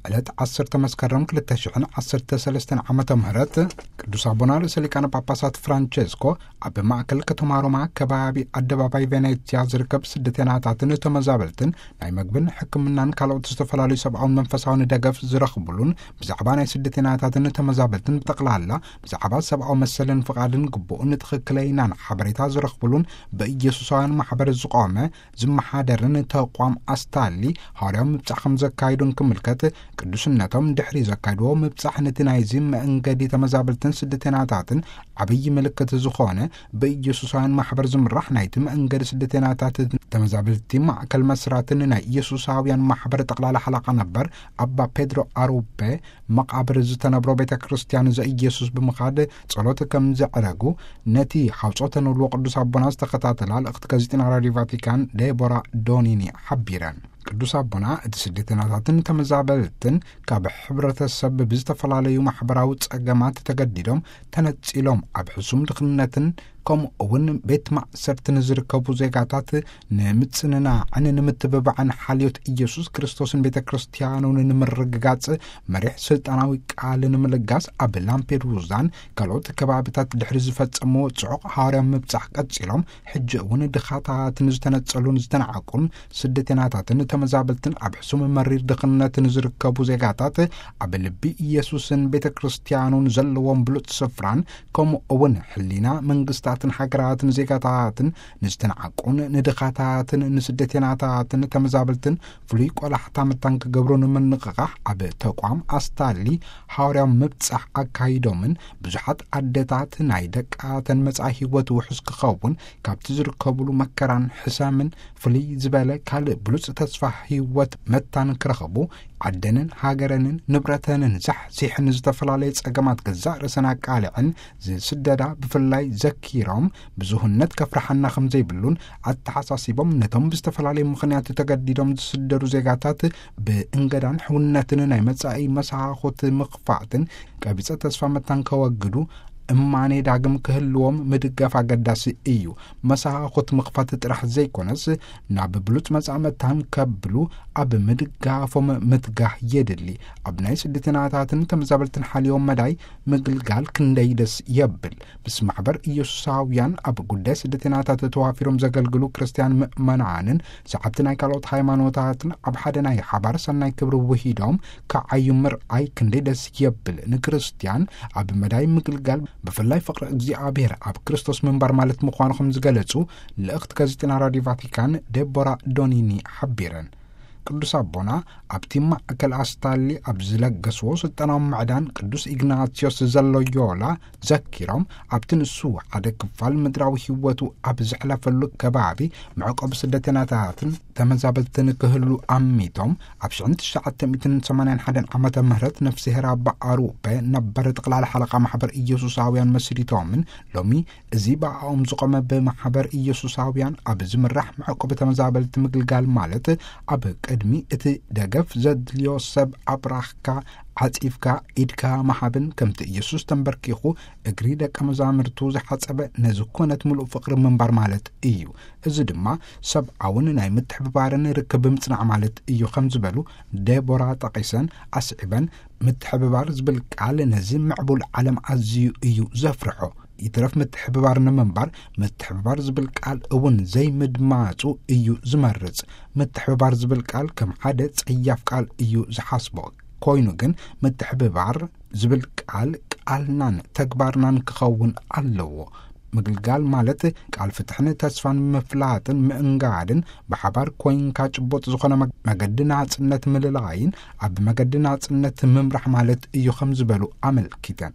ዕለት ዓሰርተ መስከረም ክልተ ሽሕን ዓሰርተ ሰለስተን ዓመተ ምህረት ቅዱስ ኣቦና ርእሰ ሊቃነ ጳጳሳት ፍራንቸስኮ ኣብ ማእከል ከተማ ሮማ ከባቢ ኣደባባይ ቬኔትያ ዝርከብ ስደተናታትን ተመዛበልትን ናይ መግብን ሕክምናን ካልኦት ዝተፈላለዩ ሰብኣውን መንፈሳውን ደገፍ ዝረኽብሉን ብዛዕባ ናይ ስደተናታትን ተመዛበልትን ብጠቕላላ ብዛዕባ ሰብኣዊ መሰልን ፍቓድን ግቡእን ትኽክለይናን ሓበሬታ ዝረኽብሉን ብኢየሱሳውያን ማሕበር ዝቖመ ዝመሓደርን ተቋም ኣስታሊ ሃዋርያዊ ምብጻሕ ከም ዘካይዱን ክምልከት ቅዱስነቶም ድሕሪ ዘካይድዎ ምብጻሕ ነቲ ናይዚ መእንገዲ ተመዛበልትን ስደተናታትን ዓብዪ ምልክት ዝኾነ ብኢየሱሳውያን ማሕበር ዝምራሕ ናይቲ መእንገዲ ስደተናታትን ተመዛበልቲ ማእከል መስራትን ናይ ኢየሱሳውያን ማሕበር ጠቕላላ ሓለቓ ነበር ኣባ ፔድሮ ኣሩፔ መቓብር ዝተነብሮ ቤተ ክርስቲያን ዘኢየሱስ ብምኻድ ጸሎት ከም ዘዕረጉ ነቲ ሓውጾተ ንብልዎ ቅዱስ ኣቦና ዝተኸታተላ ልእኽቲ ጋዜጠና ራድዮ ቫቲካን ዴቦራ ዶኒኒ ሓቢረን። ቅዱስ ኣቦና እቲ ስደተናታትን ተመዛበልትን ካብ ሕብረተሰብ ብዝተፈላለዩ ማሕበራዊ ጸገማት ተገዲዶም ተነጺሎም ኣብ ሕሱም ድኽነትን ከምኡ እውን ቤት ማእሰርቲ ንዝርከቡ ዜጋታት ንምጽንናዕን ንምትብባዕን ሓልዮት ኢየሱስ ክርስቶስን ቤተ ክርስቲያኑን ንምርግጋጽ መሪሕ ስልጣናዊ ቃል ንምልጋስ ኣብ ላምፔዱዛን ካልኦት ከባብታት ድሕሪ ዝፈጸምዎ ጽዑቕ ሃዋርያዊ ምብጻሕ ቀጺሎም ሕጂ እውን ድኻታትን ዝተነጸሉን ዝተናዕቁን ስደተናታትን ተመዛበልትን ኣብ ሕሱም መሪር ድኽነትን ዝርከቡ ዜጋታት ኣብ ልቢ ኢየሱስን ቤተ ክርስቲያኑን ዘለዎም ብሉጽ ስፍራን ከምኡ እውን ሕሊና መንግስታትን ሃገራትን ዜጋታትን ንዝተናዕቁን ንድኻታትን ንስደተናታትን ተመዛበልትን ፍሉይ ቆላሕታ መታን ክገብሩ ንምንቕቓሕ ኣብ ተቋም ኣስታሊ ሃዋርያዊ ምብጻሕ ኣካይዶምን ብዙሓት ኣደታት ናይ ደቃተን መጻኢ ህይወት ውሑስ ክኸውን ካብቲ ዝርከብሉ መከራን ሕሰምን ፍልይ ዝበለ ካልእ ብሉጽ ተስፋ ህይወት መታን ክረኽቡ ዓደንን ሃገረንን ንብረተንን ዛሕዚሕን ዝተፈላለየ ጸገማት ገዛእ ርእሰን ኣቃልዐን ዝስደዳ ብፍላይ ዘኪሮም ብዙህነት ከፍርሓና ከም ዘይብሉን ኣተሓሳሲቦም ነቶም ብዝተፈላለየ ምኽንያት ተገዲዶም ዝስደዱ ዜጋታት ብእንገዳን ሕውነትን ናይ መጻኢ መሳኹት ምኽፋትን ቀቢጸ ተስፋ መታን ከወግዱ እማኔ ዳግም ክህልዎም ምድጋፍ ኣገዳሲ እዩ። መሳኹት ምኽፋት ጥራሕ ዘይኮነስ ናብ ብሉጽ መጻኢ መታን ከብሉ ኣብ ምድጋፎም ምትጋህ የድሊ። ኣብ ናይ ስደተናታትን ተመዛበልትን ሓልዮም መዳይ ምግልጋል ክንደይ ደስ የብል። ምስ ማሕበር ኢየሱሳውያን ኣብ ጉዳይ ስደተናታት ተዋፊሮም ዘገልግሉ ክርስትያን ምእመናንን ሰዓብቲ ናይ ካልኦት ሃይማኖታትን ኣብ ሓደ ናይ ሓባር ሰናይ ክብሪ ውሂዶም ከዓዩ ምርኣይ ክንደይ ደስ የብል። ንክርስትያን ኣብ መዳይ ምግልጋል ብፍላይ ፍቕሪ እግዚኣብሔር ኣብ ክርስቶስ ምንባር ማለት ምዃኑ ከም ዝገለጹ ልእኽቲ ጋዜጠና ራድዮ ቫቲካን ዴቦራ ዶኒኒ ሓቢረን። ቅዱስ ኣቦና ኣብቲ ማእከል ኣስታሊ ኣብ ዝለገስዎ ስልጠናዊ ምዕዳን ቅዱስ ኢግናትዮስ ዘሎዮላ ዘኪሮም ኣብቲ ንሱ ሓደ ክፋል ምድራዊ ህይወቱ ኣብ ዘሕለፈሉ ከባቢ መዕቆቢ ስደተናታትን ተመዛበልትን ክህሉ ኣሚቶም ኣብ ሽሕን ትሽዓተ ሚእትን ሰማንያን ሓደን ዓመተ ምህረት ነፍስሄር ኣባ ኣሩፔ ነበር ጠቕላላ ሓለቓ ማሕበር ኢየሱሳውያን መስሪቶምን ሎሚ እዚ ብኣኦም ዝቖመ ብማሕበር ኢየሱሳውያን ኣብ ዝምራሕ መዕቆቢ ተመዛበልቲ ምግልጋል ማለት ኣብ ቅድሚ እቲ ደገፍ ዘድልዮ ሰብ ኣብራኽካ ዓጺፍካ ኢድካ ምሃብን ከምቲ ኢየሱስ ተንበርኪኹ እግሪ ደቀ መዛሙርቱ ዝሓጸበ ነዚ ኩነት ምሉእ ፍቕሪ ምንባር ማለት እዩ። እዚ ድማ ሰብኣውን ናይ ምትሕብባርን ርክብ ምጽናዕ ማለት እዩ ከም ዝበሉ ዴቦራ ጠቒሰን ኣስዒበን ምትሕብባር ዝብል ቃል ነዚ ምዕቡል ዓለም ኣዝዩ እዩ ዘፍርሖ። ይትረፍ ምትሕብባር ንምንባር ምትሕብባር ዝብል ቃል እውን ዘይምድማጹ እዩ ዝመርጽ። ምትሕብባር ዝብል ቃል ከም ሓደ ጸያፍ ቃል እዩ ዝሓስቦ። ኮይኑ ግን ምትሕብባር ዝብል ቃል ቃልናን ተግባርናን ክኸውን ኣለዎ። ምግልጋል ማለት ቃል ፍትሕን ተስፋን ምፍላጥን ምእንጋድን ብሓባር ኮይንካ ጭቡጥ ዝኾነ መግ- መገዲ ናጽነት ምልላይን ኣብ መገዲ ናጽነት ምምራሕ ማለት እዩ ከም ዝበሉ ኣመልኪተን።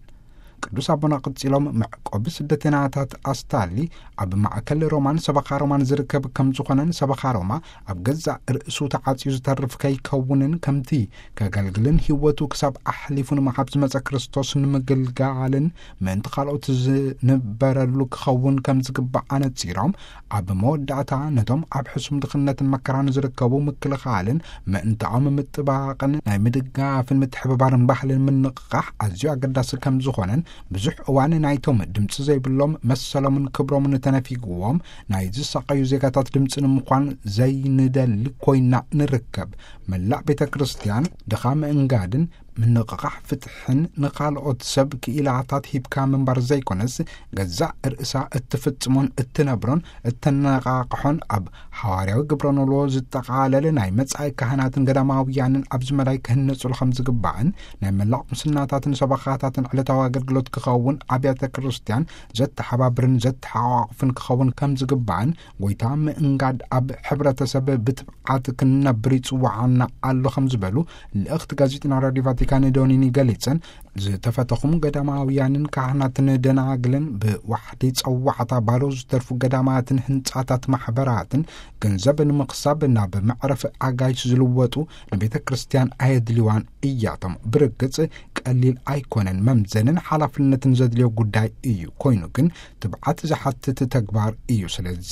ቅዱስ ኣቦና ቅጺሎም መዕቆቢ ስደተናታት ኣስታሊ ኣብ ማእከል ሮማን ሰበኻ ሮማን ዝርከብ ከም ዝኾነን ሰበኻ ሮማ ኣብ ገዛእ ርእሱ ተዓጽዩ ዝተርፍ ከይከውንን ከምቲ ከገልግልን ህይወቱ ክሳብ ኣሕሊፉ ንምሃብ ዝመጸ ክርስቶስ ንምግልጋልን ምእንቲ ካልኦት ዝንበረሉ ክኸውን ከም ዝግባእ ኣነጺሮም ኣብ መወዳእታ ነቶም ኣብ ሕሱም ድኽነትን መከራን ዝርከቡ ምክልኻልን ምእንታኦም ምጥባቕን ናይ ምድጋፍን ምትሕብባርን ባህልን ምንቕቓሕ ኣዝዩ ኣገዳሲ ከም ዝኾነን ብዙሕ እዋን ናይቶም ድምፂ ዘይብሎም መሰሎምን ክብሮምን ተነፊግዎም ናይ ዝሳቐዩ ዜጋታት ድምፂ ንምዃን ዘይንደሊ ኮይና ንርከብ። መላእ ቤተ ክርስቲያን ድኻ ምእንጋድን ምንቕቓሕ ፍትሕን ንኻልኦት ሰብ ክኢላታት ሂብካ ምንባር ዘይኮነስ፣ ገዛእ ርእሳ እትፍጽሞን እትነብሮን እተነቓቕሖን፣ ኣብ ሓዋርያዊ ግብረ ኖልዎ ዝጠቓለለ ናይ መጻኢ ካህናትን ገዳማውያንን ኣብዚ መዳይ ክህነጹሉ ከም ዝግባእን፣ ናይ መላእ ቁምስናታትን ሰበኻታትን ዕለታዊ ኣገልግሎት ክኸውን ኣብያተ ክርስቲያን ዘተሓባብርን ዘተሓቋቑፍን ክኸውን ከም ዝግባእን፣ ጎይታ ምእንጋድ ኣብ ሕብረተሰብ ብትብዓት ክንነብር ይጽውዓና ኣሎ ከም ዝበሉ ልእኽቲ ጋዜጠና ራዲዮ ቫቲካን ዶኒኒ ገሊጸን፣ ዝተፈተኹም ገዳማውያንን ካህናትን ደናግልን ብዋሕዲ ጸዋዕታ ባዶ ዝተርፉ ገዳማትን ህንጻታት ማሕበራትን ገንዘብ ንምኽሳብ ናብ መዕረፊ ኣጋይሽ ዝልወጡ ንቤተ ክርስቲያን ኣየድልዋን እያቶም። ብርግጽ ቀሊል ኣይኮነን፣ መምዘንን ሓላፍነትን ዘድልዮ ጉዳይ እዩ። ኮይኑ ግን ትብዓት ዝሓትት ተግባር እዩ። ስለዚ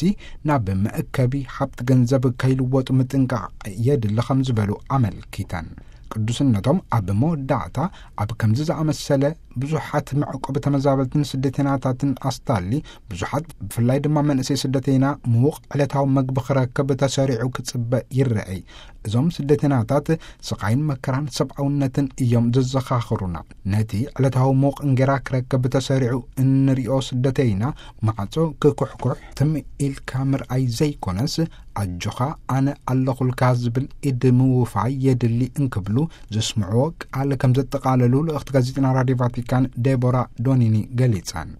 ናብ መእከቢ ሃብቲ ገንዘብ ከይልወጡ ምጥንቃቕ የድሊ ከም ዝበሉ ኣመልኪተን። ቅዱስነቶም ኣብ መወዳእታ፣ ኣብ ከምዚ ዝኣመሰለ ብዙሓት መዕቆቢ ተመዛበልትን ስደተይናታትን ኣስታሊ፣ ብዙሓት ብፍላይ ድማ መንእሰይ ስደተይና ምዉቕ ዕለታዊ መግቢ ክረክብ ተሰሪዑ ክጽበ ይረኣይ። እዞም ስደተይናታት ስቓይን መከራን ሰብኣውነትን እዮም ዘዘኻኽሩና። ነቲ ዕለታዊ ምዉቕ እንጌራ ክረክብ ተሰሪዑ እንሪኦ ስደተይና፣ ማዕጾ ክኩሕኩሕ ትም ኢልካ ምርኣይ ዘይኮነስ፣ ኣጆኻ ኣነ ኣለኹልካ ዝብል ኢድ ምውፋይ የድሊ እንክብሉ ዘስምዕዎ ቃል ከም ዘጠቓለሉ ልእኽቲ ጋዜጠና ራዲዮ ቫቲካን ዴቦራ ዶኒኒ ገሊጸን።